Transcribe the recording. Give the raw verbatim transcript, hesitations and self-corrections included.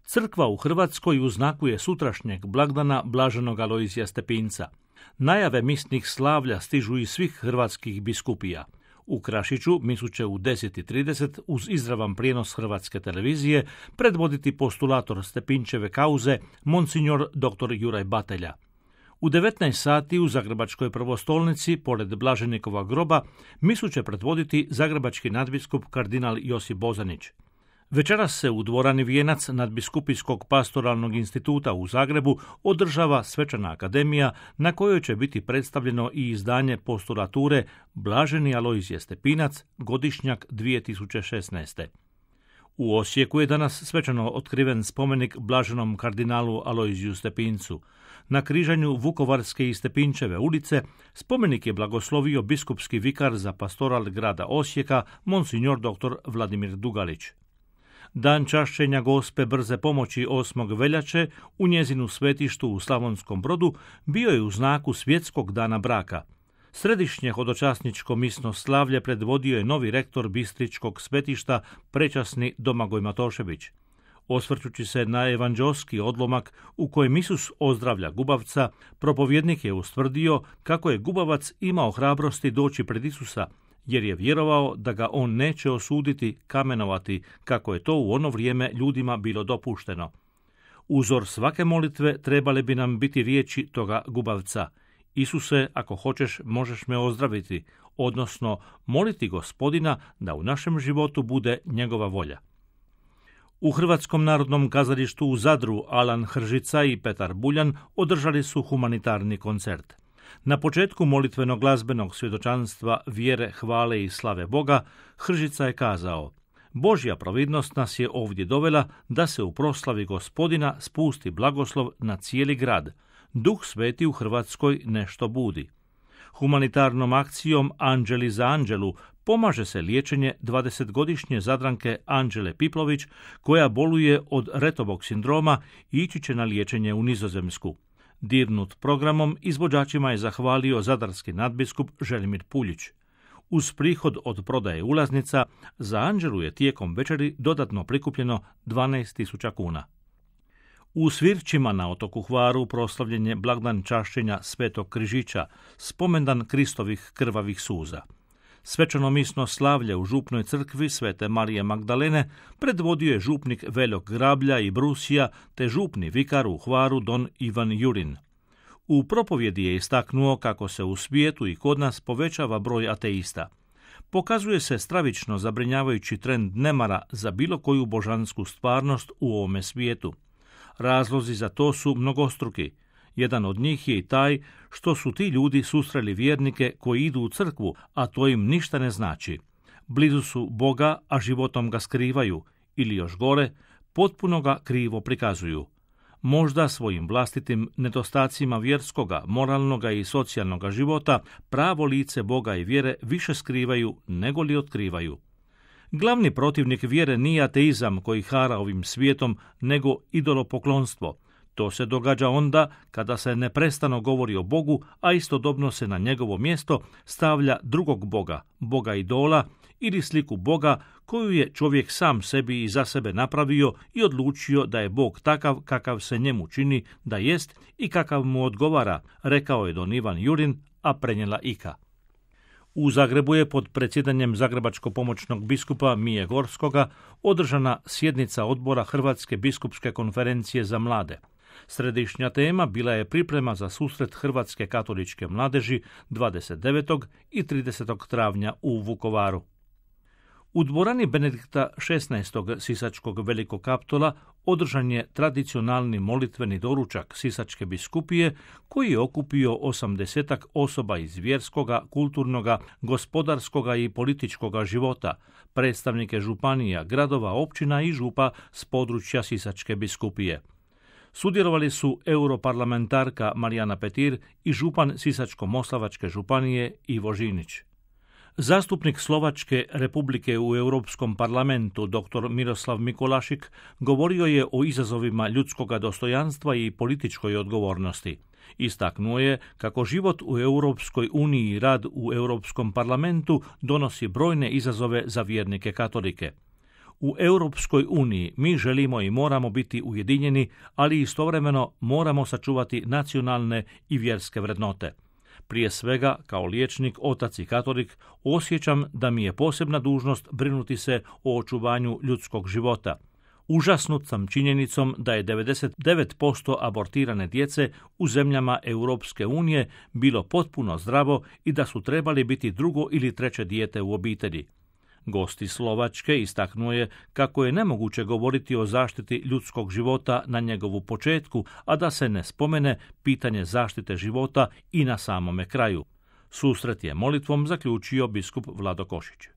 Crkva u Hrvatskoj u znaku je sutrašnjeg blagdana blaženog Alojzija Stepinca. Najave misnih slavlja stižu iz svih hrvatskih biskupija. U Krašiću misu će u deset i trideset uz izravan prijenos Hrvatske televizije predvoditi postulator Stepinčeve kauze monsignor dr. Juraj Batelja. U devetnaest sati u Zagrebačkoj prvostolnici, pored Blaženikova groba, misu će predvoditi zagrebački nadbiskup kardinal Josip Bozanić. Večeras se u dvorani Vijenac nadbiskupijskog pastoralnog instituta u Zagrebu održava svečana akademija na kojoj će biti predstavljeno i izdanje postulature Blaženi Alojzije Stepinac, godišnjak dvije tisuće šesnaeste. U Osijeku je danas svečano otkriven spomenik blaženom kardinalu Alojziju Stepincu. Na križanju Vukovarske i Stepinčeve ulice spomenik je blagoslovio biskupski vikar za pastoral grada Osijeka, monsignor dr. Vladimir Dugalić. Dan čašćenja Gospe brze pomoći osmog veljače u njezinu svetištu u Slavonskom Brodu bio je u znaku svjetskog dana braka. Središnje hodočasničko misno slavlje predvodio je novi rektor Bistričkog svetišta, prečasni Domagoj Matošević. Osvrćući se na evanđelski odlomak u kojem Isus ozdravlja gubavca, propovjednik je ustvrdio kako je gubavac imao hrabrosti doći pred Isusa, jer je vjerovao da ga on neće osuditi, kamenovati, kako je to u ono vrijeme ljudima bilo dopušteno. Uzor svake molitve trebale bi nam biti riječi toga gubavca: Isuse, ako hoćeš, možeš me ozdraviti, odnosno moliti Gospodina da u našem životu bude njegova volja. U Hrvatskom narodnom kazalištu u Zadru Alan Hržica i Petar Buljan održali su humanitarni koncert. Na početku molitvenog glazbenog svjedočanstva vjere, hvale i slave Boga, Hržica je kazao: Božja providnost nas je ovdje dovela da se u proslavi Gospodina spusti blagoslov na cijeli grad. Duh Sveti u Hrvatskoj nešto budi. Humanitarnom akcijom Anđeli za Anđelu pomaže se liječenje dvadesetgodišnje Zadranke Anđele Piplović, koja boluje od Retovog sindroma i ići će na liječenje u Nizozemsku. Dirnut programom izvođačima je zahvalio zadarski nadbiskup Želimir Puljić. Uz prihod od prodaje ulaznica, za Anđelu je tijekom večeri dodatno prikupljeno dvanaest tisuća kuna. U Svirčima na otoku Hvaru proslavljen je blagdan čašćenja Svetog Križića, spomendan Kristovih krvavih suza. Svečano misno slavlje u župnoj crkvi Svete Marije Magdalene predvodio je župnik Veljok Grablja i Brusija te župni vikar u Hvaru don Ivan Jurin. U propovjedi je istaknuo kako se u svijetu i kod nas povećava broj ateista. Pokazuje se stravično zabrinjavajući trend nemara za bilo koju božansku stvarnost u ovome svijetu. Razlozi za to su mnogostruki. Jedan od njih je i taj što su ti ljudi susreli vjernike koji idu u crkvu, a to im ništa ne znači. Blizu su Boga, a životom ga skrivaju, ili još gore, potpuno ga krivo prikazuju. Možda svojim vlastitim nedostacima vjerskoga, moralnoga i socijalnoga života pravo lice Boga i vjere više skrivaju nego li otkrivaju. Glavni protivnik vjere nije ateizam koji hara ovim svijetom, nego idolopoklonstvo. To se događa onda kada se neprestano govori o Bogu, a istodobno se na njegovo mjesto stavlja drugog Boga, Boga idola ili sliku Boga koju je čovjek sam sebi i za sebe napravio i odlučio da je Bog takav kakav se njemu čini da jest i kakav mu odgovara, rekao je don Ivan Jurin, a prenijela Ika. U Zagrebu je pod predsjedanjem zagrebačko-pomoćnog biskupa Mije Gorskoga održana sjednica odbora Hrvatske biskupske konferencije za mlade. Središnja tema bila je priprema za susret Hrvatske katoličke mladeži dvadeset devetog i tridesetog travnja u Vukovaru. U dvorani Benedikta šesnaestog Sisačkog Velikog Kaptola održan je tradicionalni molitveni doručak Sisačke biskupije koji je okupio osamdesetak osoba iz vjerskoga, kulturnoga, gospodarskoga i političkoga života, predstavnike županija, gradova, općina i župa s područja Sisačke biskupije. Sudjelovali su europarlamentarka Marijana Petir i župan Sisačko-moslavačke županije Ivo Žinić. Zastupnik Slovačke Republike u Europskom parlamentu dr. Miroslav Mikolašik govorio je o izazovima ljudskoga dostojanstva i političkoj odgovornosti. Istaknuo je kako život u Europskoj uniji i rad u Europskom parlamentu donosi brojne izazove za vjernike katolike. U Europskoj uniji mi želimo i moramo biti ujedinjeni, ali istovremeno moramo sačuvati nacionalne i vjerske vrednote. Prije svega, kao liječnik, otac i katolik, osjećam da mi je posebna dužnost brinuti se o očuvanju ljudskog života. Užasnut sam činjenicom da je devedeset devet posto abortirane djece u zemljama Europske unije bilo potpuno zdravo i da su trebali biti drugo ili treće dijete u obitelji. Gost iz Slovačke istaknuo je kako je nemoguće govoriti o zaštiti ljudskog života na njegovu početku, a da se ne spomene pitanje zaštite života i na samome kraju. Susret je molitvom zaključio biskup Vlado Košić.